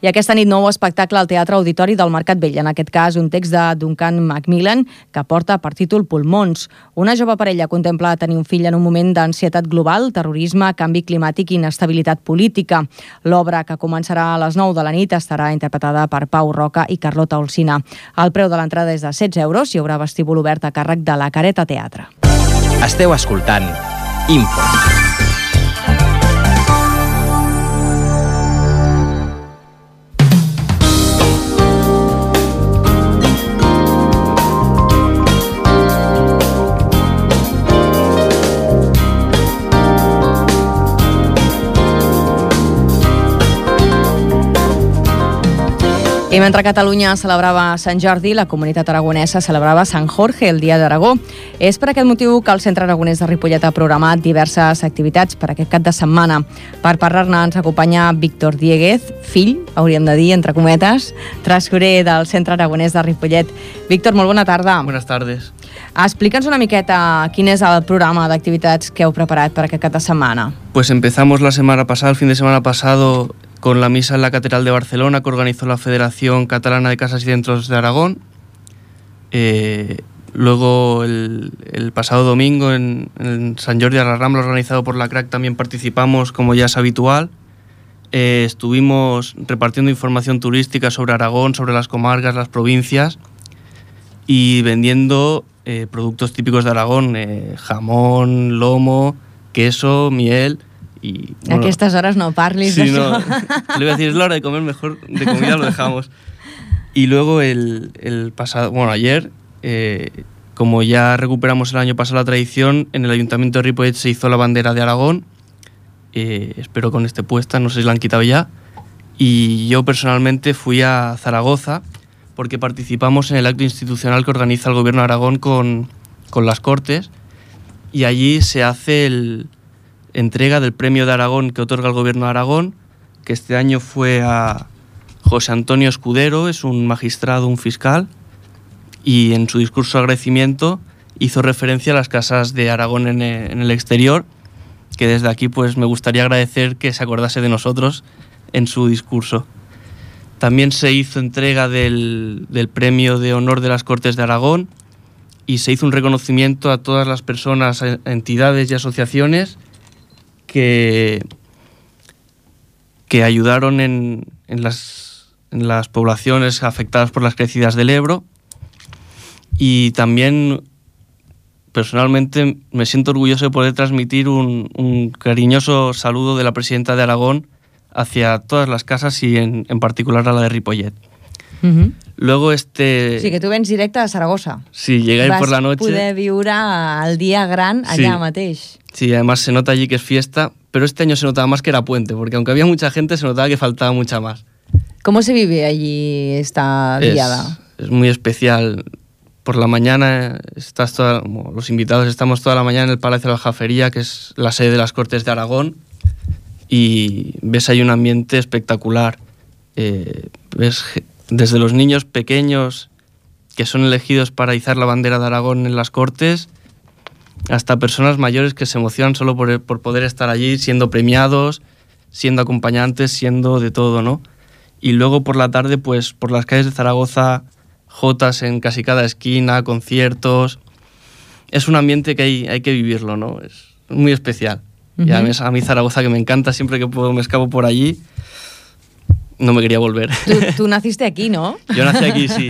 I aquesta nit, nou espectacle al Teatre Auditori del Mercat Vell. En aquest cas, un text de Duncan Macmillan que porta per títol Pulmons. Una jove parella contempla tenir un fill en un moment d'ansietat global, terrorisme, canvi climàtic i inestabilitat política. L'obra, que començarà a les nou de la nit, estarà interpretada per Pau Roca i Carlota Olsina. El preu de l'entrada és de setze euros i hi haurà vestíbul obert a càrrec de la Careta Teatre. Esteu escoltant Info. I mentre Catalunya celebrava Sant Jordi, la comunitat aragonesa celebrava Sant Jorge, el Dia d'Aragó. És per aquest motiu que el Centre Aragonès de Ripollet ha programat diverses activitats per aquest cap de setmana. Per parlar-ne ens acompanya Víctor Dieguez, fill, hauríem de dir, entre cometes, tresorer del Centre Aragonès de Ripollet. Víctor, molt bona tarda. Buenas tardes. Explica'ns una miqueta quin és el programa d'activitats que heu preparat per aquest cap de setmana. Pues empezamos la semana pasada, el fin de semana pasado, con la misa en la Catedral de Barcelona que organizó la Federación Catalana de Casas y Centros de Aragón. Eh, luego el, el pasado domingo en, en Sant Jordi a la Rambla, organizado por la C R A C, también participamos, como ya es habitual. Eh, estuvimos repartiendo información turística sobre Aragón, sobre las comarcas, las provincias, y vendiendo eh, productos típicos de Aragón, eh, jamón, lomo, queso, miel. Y, bueno, a aquestes hores no parlis sí, d'això. No, le voy a decir, es la hora de comer, mejor de comida lo dejamos. Y luego el, el pasado, bueno, ayer, eh, como ya recuperamos el año pasado la tradición, en el Ayuntamiento de Ripollet se hizo la bandera de Aragón, eh, espero con este puesta, no sé si la han quitado ya, y yo personalmente fui a Zaragoza porque participamos en el acto institucional que organiza el Gobierno de Aragón con, con las Cortes, y allí se hace el entrega del premio de Aragón que otorga el Gobierno de Aragón, que este año fue a José Antonio Escudero, es un magistrado, un fiscal, y en su discurso de agradecimiento hizo referencia a las casas de Aragón en el exterior, que desde aquí pues me gustaría agradecer que se acordase de nosotros en su discurso. También se hizo entrega del, del premio de honor de las Cortes de Aragón y se hizo un reconocimiento a todas las personas, entidades y asociaciones que, que ayudaron en, en, las, en las poblaciones afectadas por las crecidas del Ebro. Y también, personalmente, me siento orgulloso de poder transmitir un, un cariñoso saludo de la presidenta de Aragón hacia todas las casas y en, en particular a la de Ripollet. Uh-huh. Luego este... Sí, que tu vens directe a Saragossa. Sí, llegué ahí por la noche. Vas poder viure el dia gran allà sí. mateix. Sí, además se nota allí que es fiesta, pero este año se notaba más que era puente, porque aunque había mucha gente, se notaba que faltaba mucha más. ¿Cómo se vive allí esta diada? Es, es muy especial. Por la mañana, estás toda, los invitados estamos toda la mañana en el Palacio de la Aljafería, que es la sede de las Cortes de Aragón, y ves ahí un ambiente espectacular. Eh, ves desde los niños pequeños que son elegidos para izar la bandera de Aragón en las Cortes, hasta personas mayores que se emocionan solo por, por poder estar allí, siendo premiados, siendo acompañantes, siendo de todo, ¿no? Y luego por la tarde, pues por las calles de Zaragoza, jotas en casi cada esquina, conciertos. Es un ambiente que hay, hay que vivirlo, ¿no? Es muy especial. Uh-huh. Y a mí, a mí Zaragoza, que me encanta, siempre que puedo me escapo por allí, no me quería volver. Tú, tú naciste aquí, ¿no? Yo nací aquí, sí.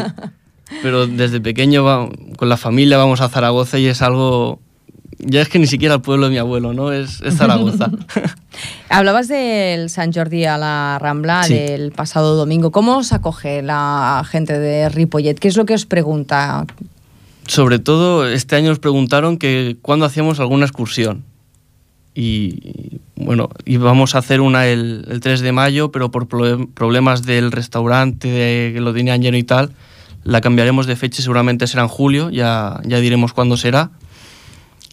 Pero desde pequeño va, con la familia vamos a Zaragoza y es algo... Ya es que ni siquiera el pueblo de mi abuelo, ¿no? Es, es Zaragoza. Hablabas del Sant Jordi a la Rambla, sí, del pasado domingo. ¿Cómo os acoge la gente de Ripollet? ¿Qué es lo que os pregunta? Sobre todo, este año nos preguntaron que cuándo hacíamos alguna excursión. Y bueno, íbamos a hacer una el, el tres de mayo, pero por pro- problemas del restaurante, de que lo tenían lleno y tal, la cambiaremos de fecha y seguramente será en julio, ya, ya diremos cuándo será.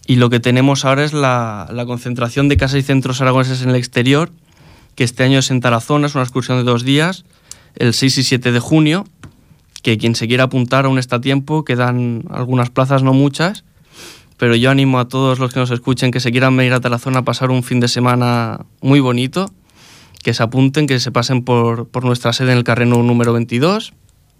Y lo que tenemos ahora es la, la concentración de casas y centros aragoneses en el exterior, que este año es en Tarazona, es una excursión de dos días, el seis y siete de junio, que quien se quiera apuntar aún está a tiempo, quedan algunas plazas, no muchas, pero yo animo a todos los que nos escuchen que se quieran venir a Tarazona a pasar un fin de semana muy bonito, que se apunten, que se pasen por, por nuestra sede en el Carreno número veintidós,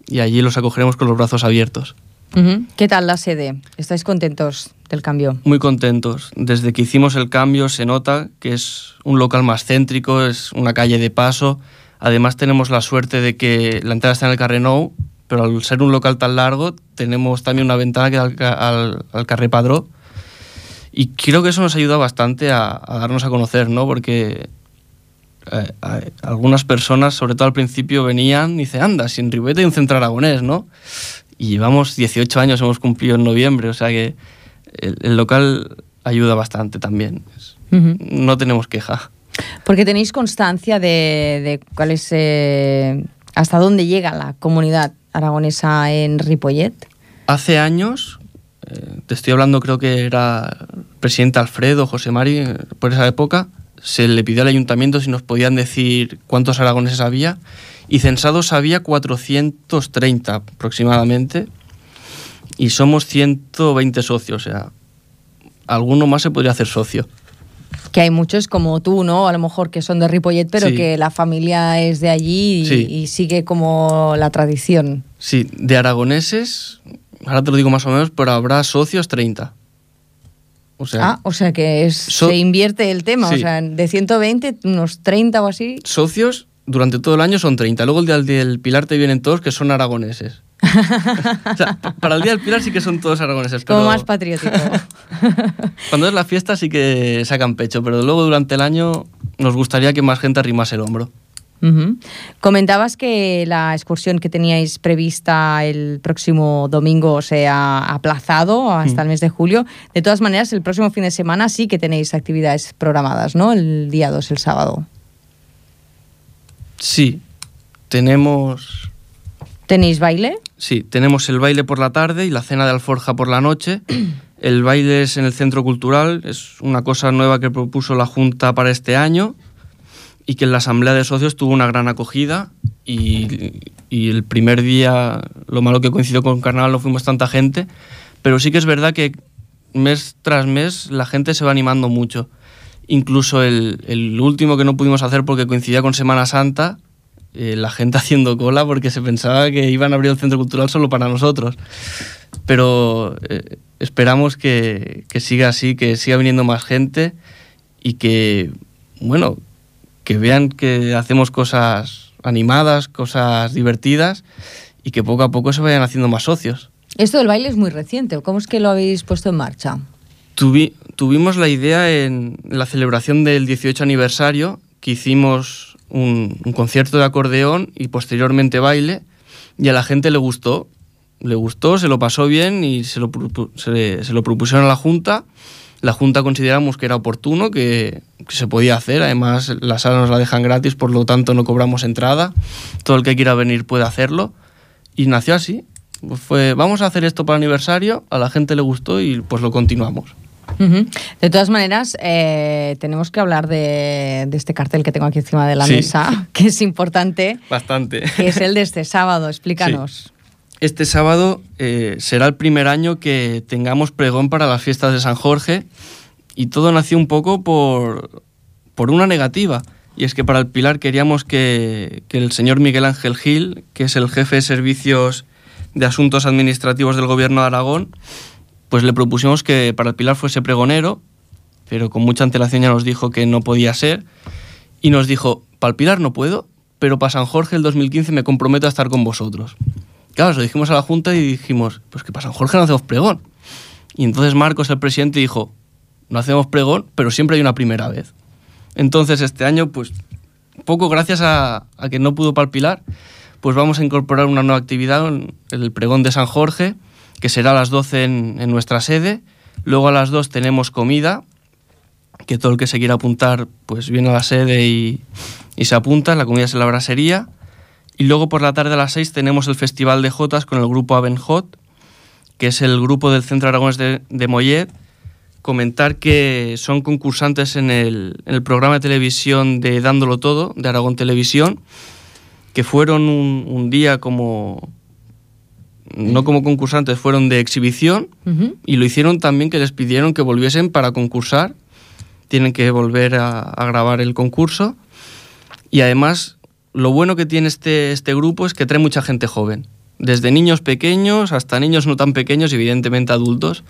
y allí los acogeremos con los brazos abiertos. Uh-huh. ¿Qué tal la sede? ¿Estáis contentos del cambio? Muy contentos. Desde que hicimos el cambio se nota que es un local más céntrico, es una calle de paso. Además tenemos la suerte de que la entrada está en el Carrenou, pero al ser un local tan largo tenemos también una ventana que da al, al, al Carrer Padró. Y creo que eso nos ayuda bastante a, a darnos a conocer, ¿no? Porque eh, eh, algunas personas, sobre todo al principio, venían y dicen, anda, si en Ripollet hay un centro aragonés, ¿no? Y llevamos dieciocho años, hemos cumplido en noviembre, o sea que el, el local ayuda bastante también. Uh-huh. No tenemos queja. Porque tenéis constancia de, de cuáles eh, ¿Hasta dónde llega la comunidad aragonesa en Ripollet? Hace años, eh, te estoy hablando, creo que era el presidente Alfredo, José Mari, eh, por esa época, se le pidió al ayuntamiento si nos podían decir cuántos aragoneses había, y censados había cuatrocientos treinta aproximadamente, y somos ciento veinte socios, o sea, alguno más se podría hacer socio. Que hay muchos como tú, ¿no? A lo mejor que son de Ripollet, pero sí. que la familia es de allí y, sí. y sigue como la tradición. Sí, de aragoneses, ahora te lo digo más o menos, pero habrá socios treinta. O sea, ah, o sea que es, so- se invierte el tema, sí. o sea, de ciento veinte, unos treinta o así. Socios durante todo el año son treinta. Luego el día del Pilar te vienen todos que son aragoneses. O sea, para el día del Pilar sí que son todos aragoneses. Como pero más patriótico. cuando es la fiesta sí que sacan pecho, pero luego durante el año nos gustaría que más gente arrimase el hombro. Uh-huh. Comentabas que la excursión que teníais prevista el próximo domingo se ha aplazado hasta uh-huh. el mes de julio. De todas maneras, el próximo fin de semana sí que tenéis actividades programadas, ¿no? El día dos, el sábado. Sí, tenemos... ¿Tenéis baile? Sí, tenemos el baile por la tarde y la cena de alforja por la noche. El baile es en el Centro Cultural, es una cosa nueva que propuso la Junta para este año y que en la Asamblea de Socios tuvo una gran acogida y, y el primer día, lo malo que coincidió con Carnaval, no fuimos tanta gente, pero sí que es verdad que mes tras mes la gente se va animando mucho. Incluso el, el último que no pudimos hacer porque coincidía con Semana Santa, eh, la gente haciendo cola porque se pensaba que iban a abrir el Centro Cultural solo para nosotros. Pero eh, esperamos que, que siga así, que siga viniendo más gente y que, bueno, que vean que hacemos cosas animadas, cosas divertidas y que poco a poco se vayan haciendo más socios. Esto del baile es muy reciente. ¿Cómo es que lo habéis puesto en marcha? Tuvi, tuvimos la idea en la celebración del dieciocho aniversario, que hicimos un, un concierto de acordeón y posteriormente baile, y a la gente le gustó, le gustó, se lo pasó bien y se lo, se, se lo propusieron a la Junta. La Junta consideramos que era oportuno, que, que se podía hacer, además la sala nos la dejan gratis, por lo tanto no cobramos entrada, todo el que quiera venir puede hacerlo, y nació así. Fue, vamos a hacer esto para el aniversario, a la gente le gustó y pues lo continuamos. Uh-huh. De todas maneras, eh, tenemos que hablar de, de este cartel que tengo aquí encima de la sí. mesa, que es importante. Bastante. Que es el de este sábado, explícanos. Sí. Este sábado eh, será el primer año que tengamos pregón para las fiestas de San Jorge y todo nació un poco por, por una negativa. Y es que para el Pilar queríamos que, que el señor Miguel Ángel Gil, que es el jefe de servicios de asuntos administrativos del Gobierno de Aragón, pues le propusimos que para el Pilar fuese pregonero, pero con mucha antelación ya nos dijo que no podía ser, y nos dijo, para el Pilar no puedo, pero para San Jorge el dos mil quince me comprometo a estar con vosotros. Claro, lo dijimos a la Junta y dijimos, pues que para San Jorge no hacemos pregón. Y entonces Marcos, el presidente, dijo, no hacemos pregón, pero siempre hay una primera vez. Entonces este año, pues poco gracias a, a que no pudo para el Pilar, pues vamos a incorporar una nueva actividad, el pregón de San Jorge, que será a las doce en, en nuestra sede. Luego a las dos tenemos comida, que todo el que se quiera apuntar pues viene a la sede y, y se apunta, la comida es en la brasería. Y luego por la tarde a las seis tenemos el Festival de Jotas con el grupo Abenjot, que es el grupo del Centro Aragonés de, de Mollet. Comentar que son concursantes en el, en el programa de televisión de Dándolo Todo, de Aragón Televisión, que fueron un, un día como... no como concursantes, fueron de exhibición, uh-huh. y lo hicieron también que les pidieron que volviesen para concursar. Tienen que volver a, a grabar el concurso. Y además, lo bueno que tiene este, este grupo es que trae mucha gente joven. Desde niños pequeños hasta niños no tan pequeños, evidentemente adultos.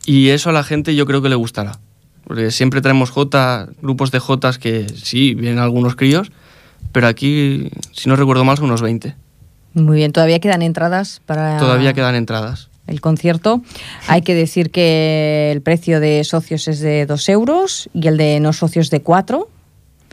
Y eso a la gente yo creo que le gustará. Porque siempre traemos Jota, grupos de Jotas que sí, vienen algunos críos, pero aquí, si no recuerdo mal, son unos veinte. Muy bien, ¿todavía quedan entradas para...? Todavía quedan entradas. El concierto. Hay que decir que el precio de socios es de dos euros y el de no socios de cuatro.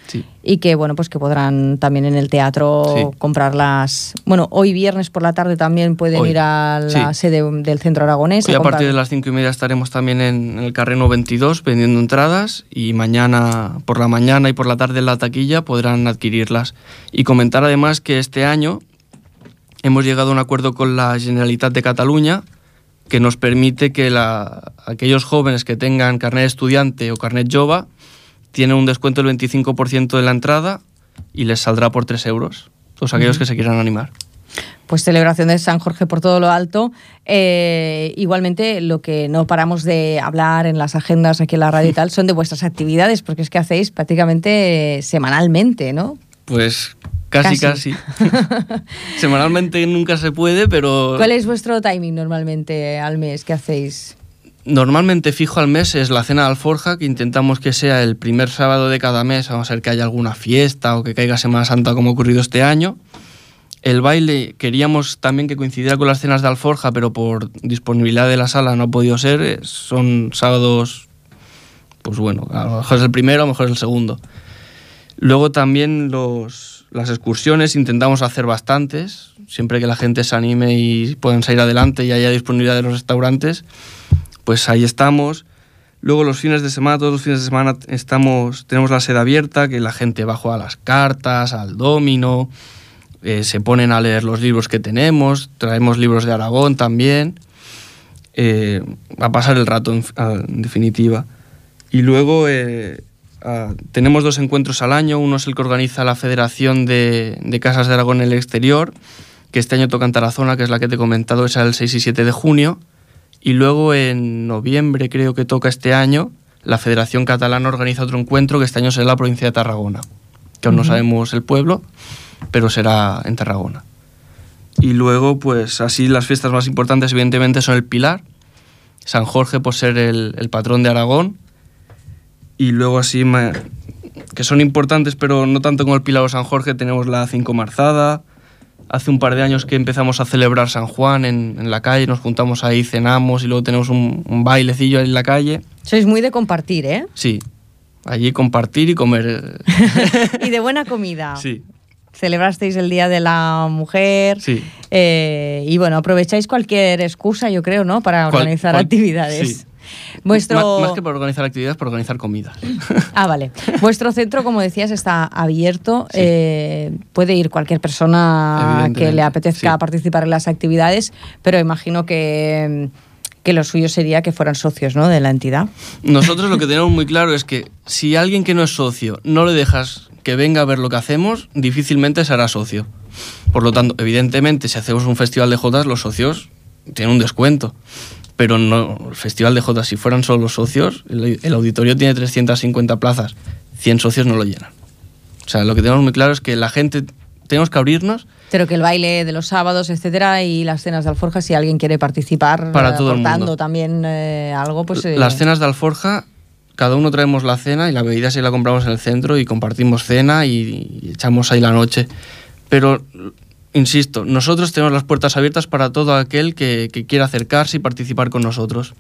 Sí. Y que, bueno, pues que podrán también en el teatro sí. comprarlas. Bueno, hoy viernes por la tarde también pueden hoy. ir a la sí. sede del Centro Aragonés. Hoy a, a partir de las cinco y media estaremos también en el Carreno veintidós vendiendo entradas y mañana por la mañana y por la tarde en la taquilla podrán adquirirlas. Y comentar además que este año hemos llegado a un acuerdo con la Generalitat de Cataluña que nos permite que la, aquellos jóvenes que tengan carnet estudiante o carnet jove tienen un descuento del veinticinco por ciento de la entrada y les saldrá por tres euros. Todos aquellos uh-huh. que se quieran animar. Pues celebración de San Jorge por todo lo alto. Eh, igualmente, lo que no paramos de hablar en las agendas aquí en la radio y tal son de vuestras actividades, porque es que hacéis prácticamente semanalmente, ¿no? Pues casi, casi. casi. Semanalmente nunca se puede, pero... ¿Cuál es vuestro timing normalmente al mes que hacéis? Normalmente fijo al mes es la cena de Alforja, que intentamos que sea el primer sábado de cada mes, a no ser que haya alguna fiesta o que caiga Semana Santa como ha ocurrido este año. El baile queríamos también que coincidiera con las cenas de Alforja, pero por disponibilidad de la sala no ha podido ser. Son sábados, pues bueno, a lo mejor es el primero, a lo mejor es el segundo. Luego también los, las excursiones intentamos hacer bastantes, siempre que la gente se anime y puedan salir adelante y haya disponibilidad de los restaurantes. Pues ahí estamos. Luego los fines de semana, todos los fines de semana estamos, tenemos la sede abierta, que la gente va a jugar a las cartas, al dominó, eh, se ponen a leer los libros que tenemos, traemos libros de Aragón también, eh, a pasar el rato en, en definitiva. Y luego eh, a, tenemos dos encuentros al año, uno es el que organiza la Federación de, de Casas de Aragón en el Exterior, que este año toca en Tarazona, que es la que te he comentado, es el seis y siete de junio. Y luego en noviembre, creo que toca este año, la Federación Catalana organiza otro encuentro que este año será en la provincia de Tarragona, que aún no sabemos el pueblo, pero será en Tarragona. Y luego, pues así las fiestas más importantes evidentemente son el Pilar, San Jorge por ser el, el patrón de Aragón, y luego así, que son importantes, pero no tanto como el Pilar o San Jorge, tenemos la Cinco Marzada. Hace un par de años que empezamos a celebrar San Juan en, en la calle, nos juntamos ahí, cenamos y luego tenemos un, un bailecillo ahí en la calle. Sois muy de compartir, ¿eh? Sí, allí compartir y comer. Y de buena comida. Sí. Celebrasteis el Día de la Mujer. Sí. Eh, y bueno, aprovecháis cualquier excusa, yo creo, ¿no? Para organizar cual, actividades. Sí. Vuestro... Más, más que para organizar actividades, para organizar comida. Ah, vale. Vuestro centro, como decías, está abierto. Sí. Eh, puede ir cualquier persona que le apetezca sí. participar en las actividades, pero imagino que, que lo suyo sería que fueran socios, ¿no?, de la entidad. Nosotros lo que tenemos muy claro es que si alguien que no es socio no le dejas que venga a ver lo que hacemos, difícilmente será socio. Por lo tanto, evidentemente, si hacemos un festival de jotas, los socios tienen un descuento. Pero no, el Festival de Jotas, si fueran solo los socios, el, el auditorio tiene trescientas cincuenta plazas, cien socios no lo llenan. O sea, lo que tenemos muy claro es que la gente, tenemos que abrirnos. Pero que el baile de los sábados, etcétera, y las cenas de Alforja, si alguien quiere participar, para todo aportando el mundo. también eh, algo, pues... Eh... Las cenas de Alforja, cada uno traemos la cena y la bebida sí la compramos en el centro y compartimos cena y, y echamos ahí la noche. Pero... Insisto, nosotros tenemos las puertas abiertas para todo aquel que, que quiera acercarse y participar con nosotros.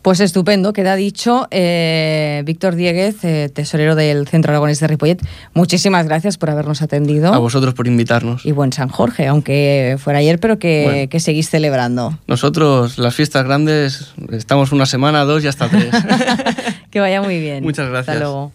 Pues estupendo, queda dicho. Eh, Víctor Dieguez, eh, tesorero del Centro Aragonés de Ripollet, muchísimas gracias por habernos atendido. A vosotros por invitarnos. Y buen San Jorge, aunque fuera ayer, pero que, bueno, que seguís celebrando. Nosotros, las fiestas grandes, estamos una semana, dos y hasta tres. Que vaya muy bien. Muchas gracias. Hasta luego.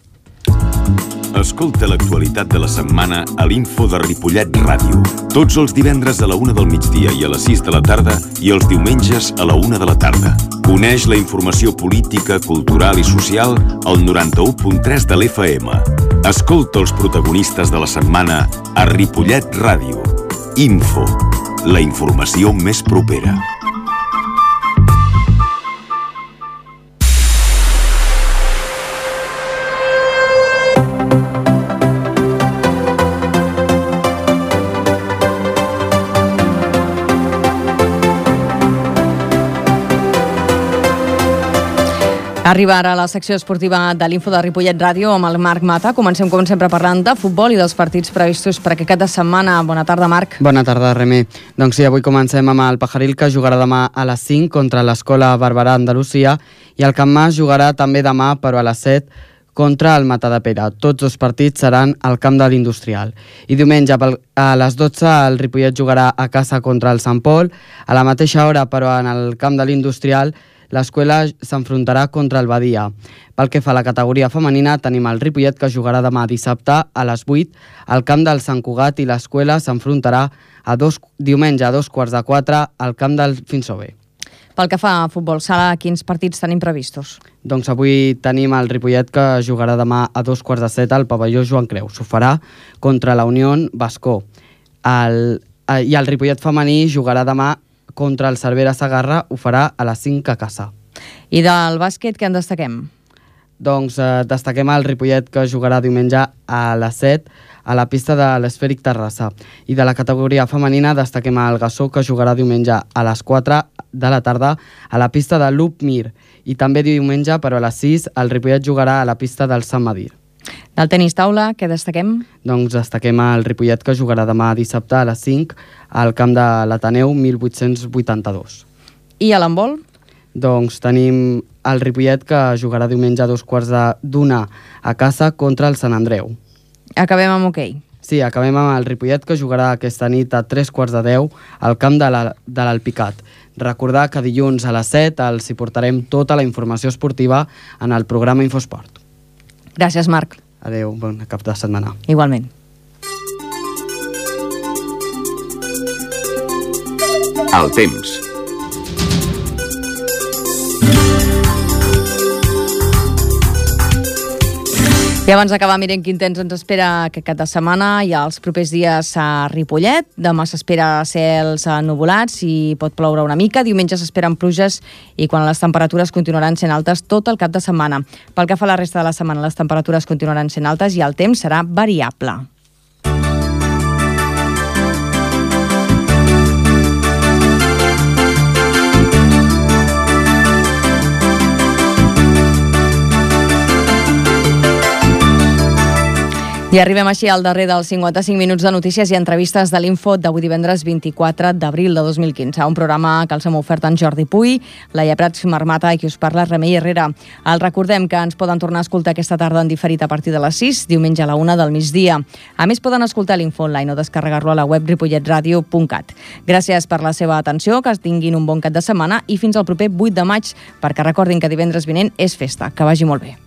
Escolta l'actualitat de la setmana a l'Info de Ripollet Ràdio. Tots els divendres a la una del migdia i a les sis de la tarda i els diumenges a la una de la tarda. Coneix la informació política, cultural i social al noranta-u punt tres de l'F M. Escolta els protagonistes de la setmana a Ripollet Ràdio. Info, la informació més propera. Arriba ara a la secció esportiva de l'Info de Ripollet Ràdio amb el Marc Mata. Comencem, com sempre, parlant de futbol i dels partits previstos per aquest cap de setmana. Bona tarda, Marc. Bona tarda, Remé. Doncs sí, avui comencem amb el Pajaril, que jugarà demà a les cinc contra l'Escola Barberà Andalusia, i el Can Mas jugarà també demà, però a les set, contra el Matadepera. Tots dos partits seran al camp de l'Industrial. I diumenge a les dotze el Ripollet jugarà a casa contra el Sant Pol. A la mateixa hora, però en el camp de l'Industrial, l'Escuela s'enfrontarà contra el Badia. Pel que fa a la categoria femenina, tenim el Ripollet que jugarà demà dissabte a les vuit al camp del Sant Cugat i l'Escuela s'enfrontarà a dos, diumenge a dos quarts de quatre al camp del Finsobe. Pel que fa a futbol sala, quins partits tenim previstos? Doncs avui tenim el Ripollet que jugarà demà a dos quarts de set al pavelló Joan Creus. Ho farà contra la Unió Bascó. El, I el Ripollet femení jugarà demà contra el Cervera Segarra, ho farà a les cinc a casa. I del bàsquet, què en destaquem? Doncs eh, destaquem el Ripollet que jugarà diumenge a les set a la pista de l'Esfèric Terrassa. I de la categoria femenina destaquem el Gassó que jugarà diumenge a les quatre de la tarda a la pista de l'Up Mir. I també diumenge, però a les sis, el Ripollet jugarà a la pista del Sant Medir. Del tenis taula, què destaquem? Doncs destaquem el Ripollet que jugarà demà dissabte a les cinc al camp de l'Ateneu mil vuit-cents vuitanta-dos. I a l'handbol? Doncs tenim el Ripollet que jugarà diumenge a dos quarts d'una a casa contra el Sant Andreu. Acabem amb hoquei. Sí, acabem amb el Ripollet que jugarà aquesta nit a tres quarts de deu al camp de l'Alpicat. Recordar que dilluns a les set els hi portarem tota la informació esportiva en el programa Infosport. Gràcies, Marc. Adéu, bon cap de setmana. Igualment. El temps. I abans d'acabar, mirem quin temps ens espera aquest cap de setmana i els propers dies a Ripollet. Demà s'espera cels nuvolats i pot ploure una mica. Diumenge s'esperen pluges i quan les temperatures continuaran sent altes tot el cap de setmana. Pel que fa a la resta de la setmana, les temperatures continuaran sent altes i el temps serà variable. I arribem així al darrer dels cinquanta-cinc minuts de notícies i entrevistes de l'Info d'avui divendres vint-i-quatre d'abril de dos mil quinze. Un programa que els hem ofert en Jordi Puy, Laia Prats Marmata i qui us parla Remei Herrera. El recordem que ens poden tornar a escoltar aquesta tarda en diferit a partir de les sis, diumenge a la una del migdia. A més, poden escoltar l'Info online o descarregar-lo a la web ripollet radio punt cat. Gràcies per la seva atenció, que tinguin un bon cap de setmana i fins al proper vuit de maig, perquè recordin que divendres vinent és festa. Que vagi molt bé.